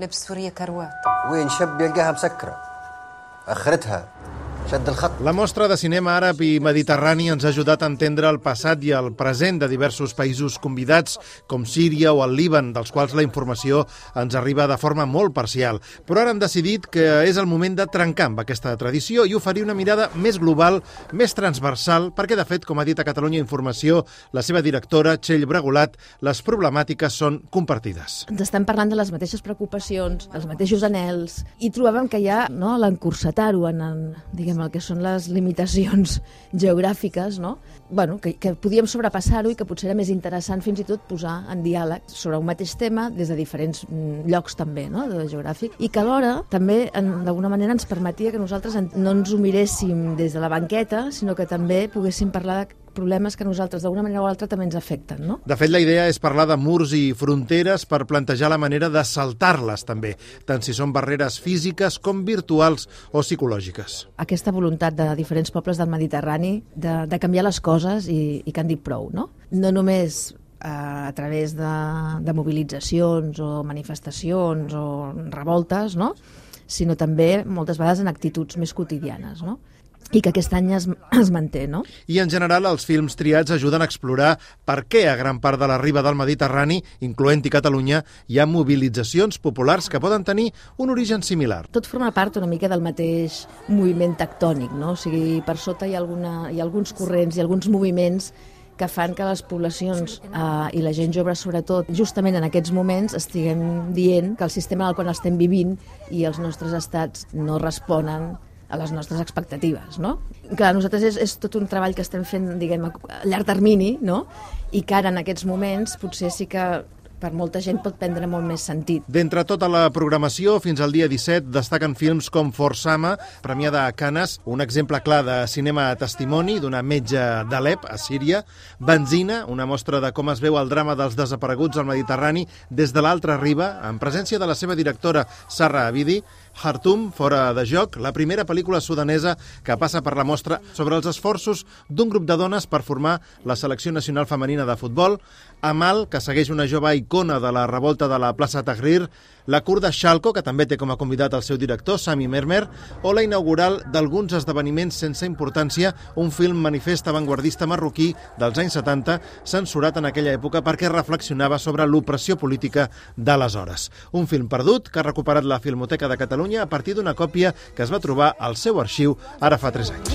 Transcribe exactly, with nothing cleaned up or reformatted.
لبس سوريا كروات. وين شاب يلقاها مسكرة آخرتها شد الخط. La mostra de cinema àrab i mediterrani ens ha ajudat a entendre el passat i el present de diversos països convidats, com Síria o el Líban, dels quals la informació ens arriba de forma molt parcial. Però ara hem decidit que és el moment de trencar amb aquesta tradició i oferir una mirada més global, més transversal, perquè, de fet, com ha dit a Catalunya Informació, la seva directora, Txell Bregolat, les problemàtiques són compartides. Ens estem parlant de les mateixes preocupacions, dels mateixos anhels, i trobàvem que hi ha, no, l'encursetar-ho en, en, diguem, el que són les limitacions geogràfiques, no? Bueno, que, que podíem sobrepassar-ho i que potser era més interessant fins i tot posar en diàleg sobre un mateix tema des de diferents llocs també, no?, de geogràfic, i que alhora també d'alguna manera ens permetia que nosaltres no ens ho miréssim des de la banqueta, sinó que també poguéssim parlar de problemes que a nosaltres d'alguna manera o altra també ens afecten, no? De fet, la idea és parlar de murs i fronteres per plantejar la manera de saltar-les també, tant si són barreres físiques com virtuals o psicològiques. Aquesta voluntat de diferents pobles del Mediterrani de, de canviar les coses i, i que han dit prou, no? No només a través de, de mobilitzacions o manifestacions o revoltes, no?, sinó també moltes vegades en actituds més quotidianes, no?, i que aquest any es, es manté, no? I en general els films triats ajuden a explorar per què a gran part de la riba del Mediterrani, incloent-hi Catalunya, hi ha mobilitzacions populars que poden tenir un origen similar. Tot forma part una mica del mateix moviment tectònic, no? O sigui, per sota hi ha, alguna, hi ha alguns corrents i alguns moviments que fan que les poblacions eh, i la gent jove, sobretot, justament en aquests moments estiguem dient que el sistema en el qual estem vivint i els nostres estats no responen a les nostres expectatives, no? Clar, nosaltres és, és tot un treball que estem fent, diguem, a llarg termini, no?, i que ara en aquests moments potser sí que per molta gent pot prendre molt més sentit. D'entre tota la programació, fins al dia disset, destaquen films com Forsama, premiada a Canes, un exemple clar de cinema a testimoni d'una metge d'Alep, a Síria, Benzina, una mostra de com es veu el drama dels desapareguts al Mediterrani des de l'altra riba, en presència de la seva directora, Sarra Abidi, Khartoum, fora de joc, la primera pel·lícula sudanesa que passa per la mostra sobre els esforços d'un grup de dones per formar la selecció nacional femenina de futbol, Amal, que segueix una jove icona de la revolta de la plaça Tahrir, la kurda Shalko, que també té com a convidat el seu director, Sami Mermer, o la inaugural d'alguns esdeveniments sense importància, un film manifest avantguardista marroquí dels anys setanta, censurat en aquella època perquè reflexionava sobre l'opressió política d'aleshores. Un film perdut que ha recuperat la Filmoteca de Catalunya a partir d'una còpia que es va trobar al seu arxiu ara fa tres anys.